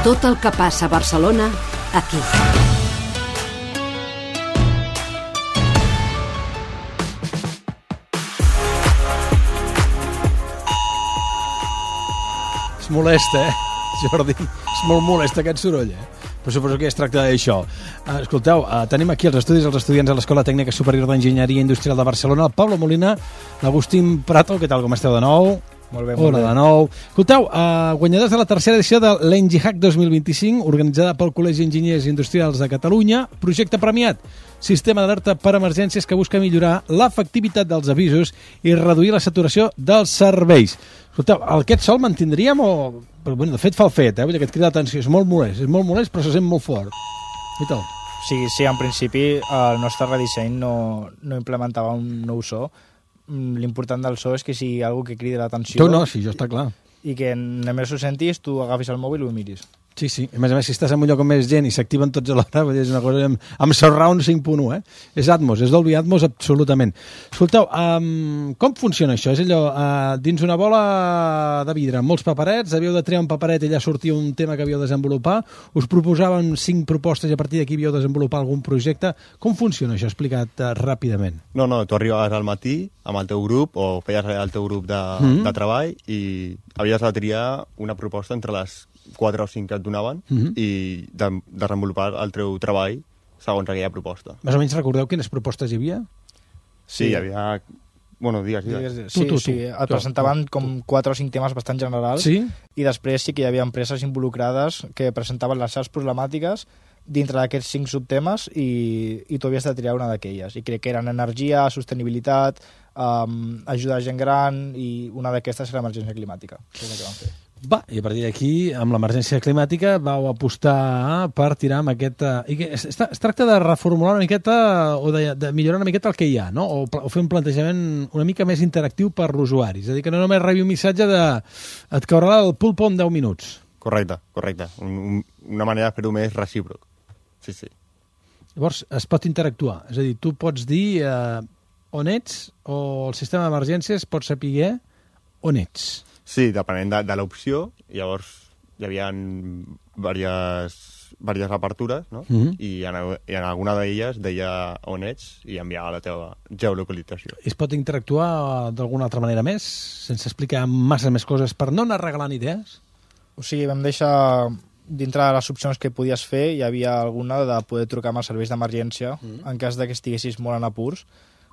Tot el que passa a Barcelona, aquí. És molest, Jordi? És molt molest aquest soroll, Però suposo que es tracta d'això. Escolteu, tenim aquí els estudiants de l'Escola Tècnica Superior d'Enginyeria Industrial de Barcelona, el Pablo Molina, l'Agustín Prato, què tal, com esteu de nou? Molt bé, Hola de nou. Escolteu, guanyadors de la tercera edició de l'Engihack 2025, organitzada pel Col·legi d'Enginyers Industrials de Catalunya, projecte premiat, sistema d'alerta per emergències que busca millorar l'efectivitat dels avisos i reduir la saturació dels serveis. Escolteu, aquest sol mantindríem o... Però, bueno, de fet fa el fet, Vull dir que et crida l'atenció, és molt molest, però se sent molt fort. I tal. Sí, en principi el nostre redisseny no implementava un nou so. L'important del so és que sigui algo que cridi l'atenció. Tu no, sí, això està clar. I que només ho sentis, tu agafis el mòbil i ho miris. Sí, sí. A més, si estàs en un lloc amb més gent i s'activen tots alhora, és una cosa amb Surround 5.1, És Atmos, és Dolby Atmos absolutament. Escolteu, com funciona això? És allò, dins una bola de vidre, amb molts paperets, havíeu de triar un paperet i allà sortia un tema que havíeu de desenvolupar, us proposaven 5 propostes i a partir d'aquí havíeu de desenvolupar algun projecte. Com funciona això, explicat ràpidament? No, tu arribaves al matí amb el teu grup o feies el teu grup de treball i havies de triar una proposta entre les 4 o 5 que et donaven i de desenvolupar el teu treball segons aquella proposta. Més o menys recordeu quines propostes hi havia? Sí, hi havia... Bueno, digues. Sí, et presentaven com 4 o 5 temes bastant generals i després sí que hi havia empreses involucrades que presentaven les seves problemàtiques dintre d'aquests 5 subtemes i tu havies de triar una d'aquelles. I crec que eren energia, sostenibilitat, ajudar a gent gran i una d'aquestes era l'emergència climàtica. És el que vam fer. I a partir d'aquí, amb l'emergència climàtica, vau apostar per tirar amb aquest... Es tracta de reformular una miqueta o de millorar una miqueta el que hi ha, no? O fer un plantejament una mica més interactiu per l'usuari. És a dir, que no només rebi un missatge de et caurà el pulpo en 10 minuts. Correcte. Una manera de fer-ho més recíproc. Sí. Llavors, es pot interactuar. És a dir, tu pots dir on ets o el sistema d'emergències pot saber on ets. Sí, depenent de l'opció, llavors hi havia diverses apertures, no? I en alguna d'elles deia on ets i enviava la teva geolocalització. I es pot interactuar d'alguna altra manera més, sense explicar massa més coses per no anar regalant idees? O sigui, vam deixar, dintre de les opcions que podies fer, hi havia alguna de poder trucar amb els serveis d'emergència en cas de que estiguessis molt en apurs.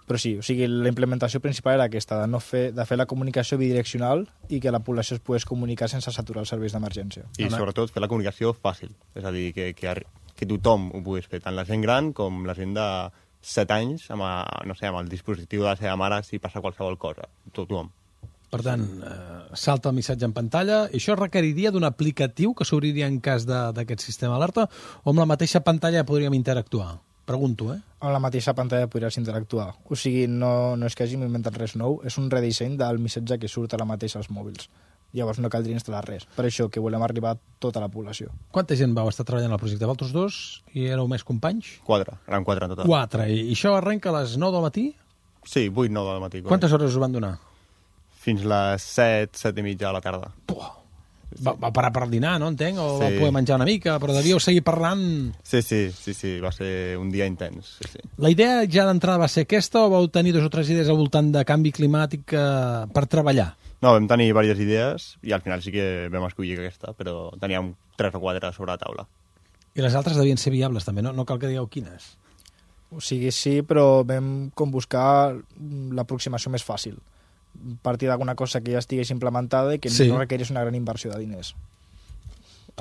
Però sí, o sigui, la implementació principal era aquesta, de fer la comunicació bidireccional i que la població es pogués comunicar sense saturar els serveis d'emergència. I sobretot fer la comunicació fàcil, és a dir, que tothom ho pogués fer, tant la gent gran com la gent de 7 anys amb el dispositiu de la seva mare si passa qualsevol cosa, tothom. Per tant, salta el missatge en pantalla. I això requeriria d'un aplicatiu que s'obriria en cas d'aquest sistema d'alerta o amb la mateixa pantalla podríem interactuar? Pregunto, Amb la mateixa pantalla podries interactuar. O sigui, no és que hàgim inventat res nou, és un redisseny del missatge que surt ara mateix als mòbils. Llavors no caldria instal·lar res. Per això que volem arribar a tota la població. Quanta gent vau estar treballant al projecte? Vosaltres 2 i éreu més companys? 4, eren 4 en total. 4, i això arrenca a les 9 del matí? Sí, 8, 9 del matí. Quantes hores us van donar? Fins les 7, 7 i mitja de la tarda. Va parar per dinar, no entenc? O va poder menjar una mica, però devíeu seguir parlant... Sí, va ser un dia intens. Sí. La idea ja d'entrada va ser aquesta o vau tenir 2 o 3 idees al voltant de canvi climàtic per treballar? No, vam tenir diverses idees i al final sí que vam escollir aquesta, però teníem 3 o 4 sobre la taula. I les altres devien ser viables també, no? No cal que digueu quines. O sigui, sí, però vam com buscar l'aproximació més fàcil. Partir d'alguna cosa que ja estigués implementada i que no requerís una gran inversió de diners.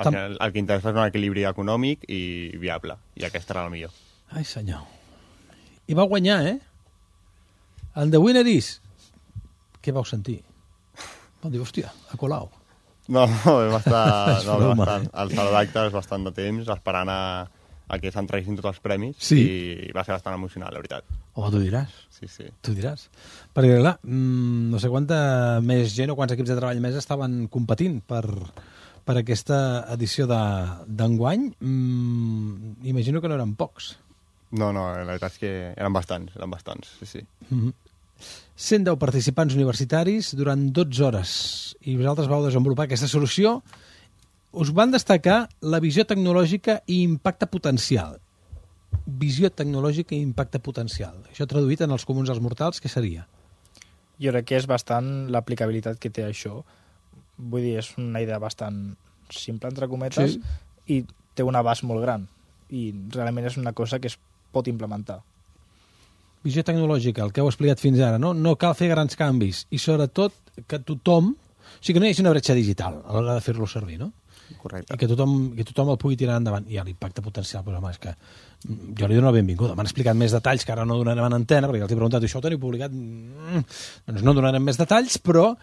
Al final, el que interessa és un equilibri econòmic i viable, i aquesta era la millor. Ai, senyor. I va guanyar, And the winner is... Què vau sentir? Vau dir, hòstia, a Colau. No, vam estar al saló d'actes bastant de temps esperant a que s'entreguessin tots els premis i va ser bastant emocional, la veritat. Home, tu diràs. Sí. Tu diràs. Perquè, clar, no sé quanta més gent o quants equips de treball més estaven competint per aquesta edició d'enguany. Imagino que no eren pocs. No, la veritat és que eren bastants, sí. 110 participants universitaris durant 12 hores i vosaltres vau desenvolupar aquesta solució us van destacar la visió tecnològica i impacte potencial. Visió tecnològica i impacte potencial. Això traduït en els comuns als mortals, què seria? Jo crec que és bastant l'aplicabilitat que té això. Vull dir, és una idea bastant simple, entre cometes, i té un abast molt gran. I realment és una cosa que es pot implementar. Visió tecnològica, el que heu explicat fins ara, no? No cal fer grans canvis. I sobretot que tothom... O sigui, que no hi hagi una bretxa digital a l'hora de fer-lo servir, no? Correcte. I que tothom el pugui tirar endavant. I l'impacte potencial, però home, és que jo li dono la benvinguda. M'han explicat més detalls que ara no donarem en antena, perquè els he preguntat, això ho teniu publicat? Doncs no donarem més detalls, però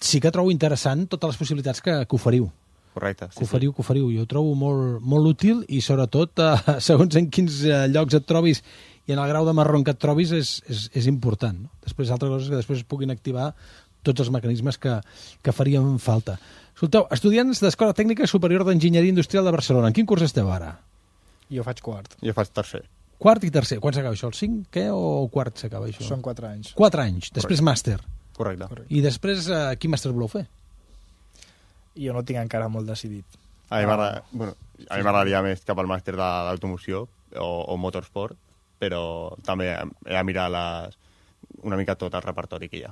sí que trobo interessant totes les possibilitats que oferiu. Correcte. Que oferiu. Jo ho trobo molt útil i sobretot, segons en quins llocs et trobis i en el grau de marron que et trobis, és important. No? Després, altres coses que després es puguin activar tots els mecanismes que farien falta. Escolteu, estudiants d'Escola Tècnica Superior d'Enginyeria Industrial de Barcelona. En quin curs esteu ara? Jo faig quart. Jo faig tercer. Quart i tercer. Quan s'acaba això? El 5, què? O quart s'acaba això? Són 4 anys. 4 anys. Després màster. Correcte. I després, quin màster voleu fer? Jo no tinc encara molt decidit. A mi m'agradaria més cap al màster d'automoció o motorsport, però també he de mirar una mica tot el repertori que hi ha.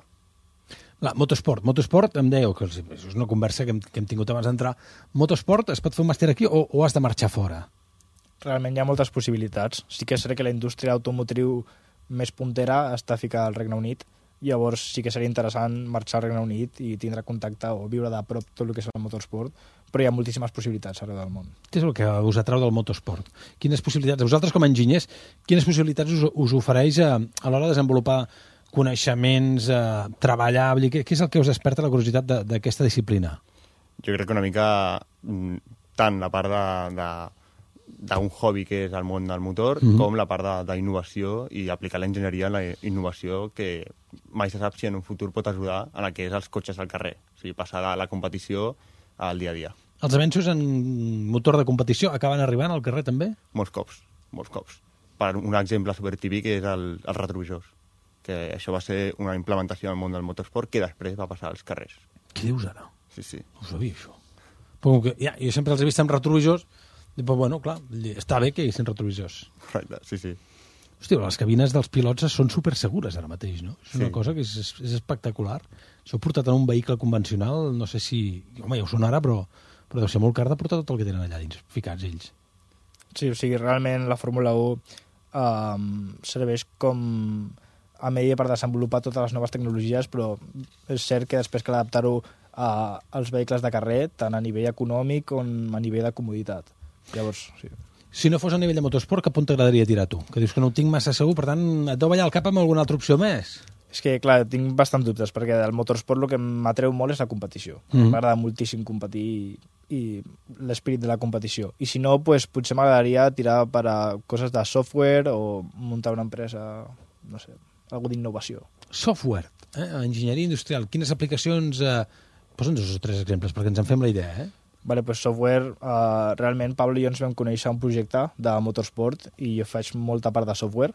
Motorsport, em dèieu, que és una conversa que hem tingut abans d'entrar. Motorsport, es pot fer un màster aquí o has de marxar fora? Realment hi ha moltes possibilitats. Sí que és cert que la indústria automotriu més puntera està ficada al Regne Unit, llavors sí que seria interessant marxar al Regne Unit i tindre contacte o viure de prop tot el que és el motorsport, però hi ha moltíssimes possibilitats arreu del món. Què és el que us atrau del motorsport? Quines possibilitats, vosaltres com a enginyers, quines possibilitats us ofereix a l'hora de desenvolupar coneixements, treballar... Què és el que us desperta la curiositat d'aquesta disciplina? Jo crec que una mica tant la part d'un hobby que és el món del motor, com la part d'innovació i aplicar l'enginyeria en la innovació que mai se sap si en un futur pot ajudar en el que és els cotxes al carrer. O sigui, passar de la competició al dia a dia. Els avenços en motor de competició acaben arribant al carrer també? Molts cops. Per un exemple supertípic és els retrovisors, que això va ser una implementació al món del motorsport que després va passar als carrers. Què dius ara? Sí. No ho sabia, això. Però que, jo sempre els he vist amb retrovisors, però bueno, clar, està bé que hi hagin retrovisors. Correcte, sí. Hòstia, les cabines dels pilots són supersegures ara mateix, no? És una cosa que és espectacular. Això portat en un vehicle convencional, no sé si... Home, ja ho sonarà, però deu ser molt car de portar tot el que tenen allà dins, ficats ells. Sí, o sigui, realment la Fórmula 1 serveix com a medi per desenvolupar totes les noves tecnologies, però és cert que després cal adaptar-ho als vehicles de carrer, tant a nivell econòmic com a nivell de comoditat. Llavors, sí. Si no fos a nivell de motorsport, cap on t'agradaria tirar tu? Que dius que no ho tinc massa segur, per tant, et deu ballar el cap amb alguna altra opció més? És que, clar, tinc bastant dubtes, perquè del motorsport el que m'atreu molt és la competició. M'agrada moltíssim competir i l'esperit de la competició. I si no, pues, potser m'agradaria tirar per a coses de software o muntar una empresa, no sé, algo d'innovació. Software, enginyeria industrial. Quines aplicacions... Posa'ns 2 o 3 exemples perquè ens en fem la idea, Vale, pues software, realment Pablo i jo ens vam conèixer un projecte de motorsport i jo faig molta part de software.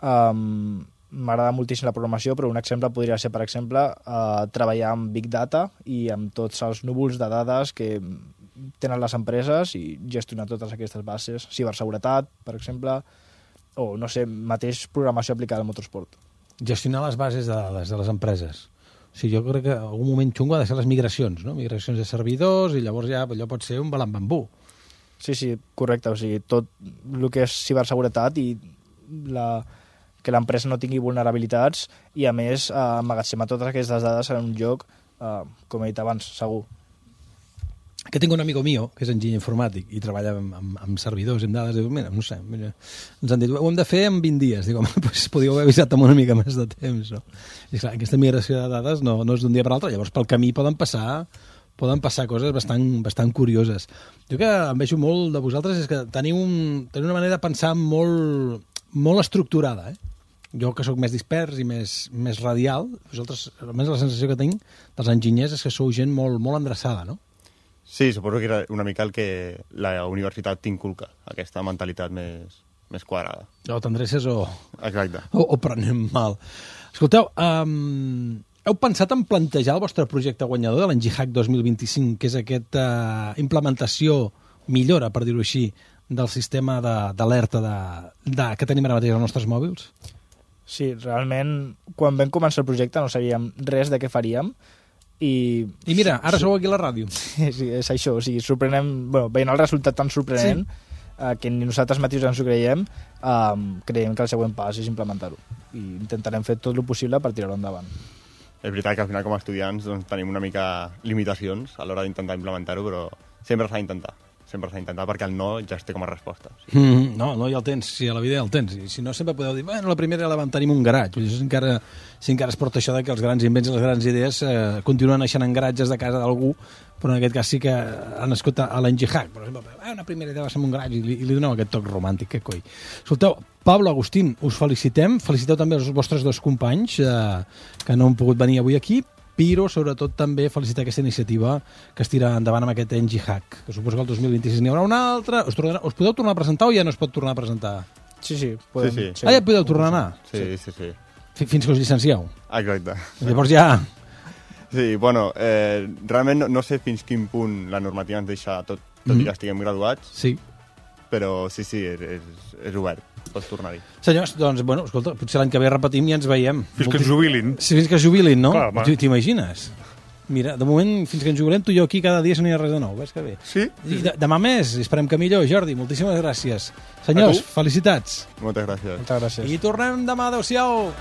M'agrada moltíssim la programació, però un exemple podria ser, per exemple, treballar amb Big Data i amb tots els núvols de dades que tenen les empreses i gestionar totes aquestes bases, ciberseguretat, per exemple, o, no sé, mateix programació aplicada al motorsport. Gestionar les bases de dades de les empreses. O sigui, jo crec que en algun moment xungo ha de ser les migracions, no? Migracions de servidors i llavors ja allò pot ser un balambambú. Sí, correcte. O sigui, tot el que és ciberseguretat i que l'empresa no tingui vulnerabilitats i, a més, emmagatzemar totes aquestes dades en un lloc, com he dit abans, segur. Que tinc un amigo mío, que és enginyer informàtic i treballa amb servidors, amb dades, diu, mira, no sé, ens han dit, ho hem de fer en 20 dies. Dic, home, doncs podíeu haver avisat amb una mica més de temps, no? I clar, aquesta migració de dades no és d'un dia per l'altre, llavors pel camí poden passar coses bastant curioses. Jo que em vejo molt de vosaltres és que teniu una manera de pensar molt estructurada, Jo, que sóc més dispers i més radial, vosaltres, almenys la sensació que tinc dels enginyers és que sou gent molt endreçada, no? Sí, suposo que era una mica el que la universitat t'inculca, aquesta mentalitat més quadrada. O t'endreces o... Exacte. O prenem mal. Escolteu, Heu pensat en plantejar el vostre projecte guanyador de l'Engie-Hack 2025, que és aquesta implementació, millora, per dir-ho així, del sistema d'alerta que tenim ara mateix als nostres mòbils? Sí, realment, quan vam començar el projecte no sabíem res de què faríem, i mira, ara sou aquí a la ràdio. Sí, és això, o sigui, sorprenem, veient el resultat tan sorprenent, que ni nosaltres mateixos ens ho creiem, creiem que el següent pas és implementar-ho, i intentarem fer tot el possible per tirar-ho endavant. És veritat que al final com a estudiants doncs, tenim una mica limitacions a l'hora d'intentar implementar-ho, però sempre s'ha d'intentar. Sempre s'ha d'intentar perquè el no ja es té com a resposta. Sí. No, ja el tens, si a la vida ja el tens. I si no, sempre podeu dir, bueno, la primera la vam tenir en un garatge. Si encara es porta això de que els grans invents i les grans idees continuen naixent en garatges de casa d'algú, però en aquest cas sí que han nascut a l'Engie-Hack. Per exemple, una primera idea va ser en un garatge i li doneu aquest toc romàntic, que coi. Escolteu, Pablo, Agustín, us felicitem. Feliciteu també els vostres dos companys que no han pogut venir avui aquí, però sobretot també felicitar aquesta iniciativa que es tira endavant amb aquest Engie-Hack, que suposo que el 2026 n'hi haurà una altra. Us podeu tornar a presentar o ja no es pot tornar a presentar? Sí, podem. Sí. Ja podeu tornar a anar? Sí. Fins que us llicencieu? Exacte. Llavors ja... Sí, bueno, realment no sé fins quin punt la normativa ens deixa tot i que estiguem graduats. Sí. Però sí, és obert. Pots tornar-hi. Senyors, doncs, bueno, escolta, potser l'any que ve repetim i ens veiem. Fins que es jubilin. Sí, fins que es jubilin, no? Clar, t'imagines? Mira, de moment, fins que ens jubilem, tu i jo aquí cada dia no hi ha res de nou, ves que bé. Sí? I demà més, esperem que millor. Jordi, moltíssimes gràcies. Senyors, felicitats. Moltes gràcies. Moltes gràcies. I tornem demà, adeu-siau.